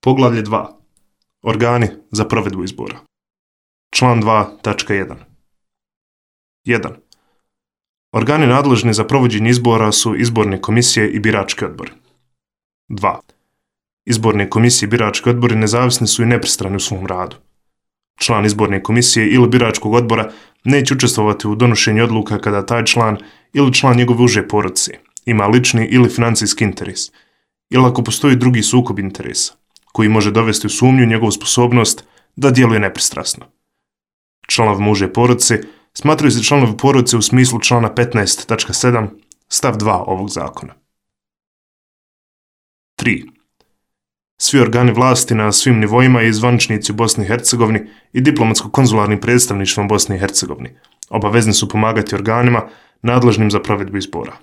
Poglavlje 2. Organi za provedbu izbora. Član 2.1. 1. Organi nadležni za provođenje izbora su izborne komisije i birački odbori. 2. Izborne komisije i birački odbori nezavisni su i nepristrani u svom radu. Član izborne komisije ili biračkog odbora neće učestvovati u donošenju odluka kada taj član ili član njegove uže porodice ima lični ili financijski interes, ili ako postoji drugi sukob interesa, koji može dovesti u sumnju njegovu sposobnost da djeluje nepristrasno. Članovima uže porodice smatraju se članovi porodice u smislu člana 15.7 stav 2 ovog zakona. 3. Svi organi vlasti na svim nivoima i zvaničnici u Bosni i Hercegovini i diplomatsko-konzularnim predstavništvom Bosne i Hercegovine obavezni su pomagati organima nadležnim za provedbu izbora.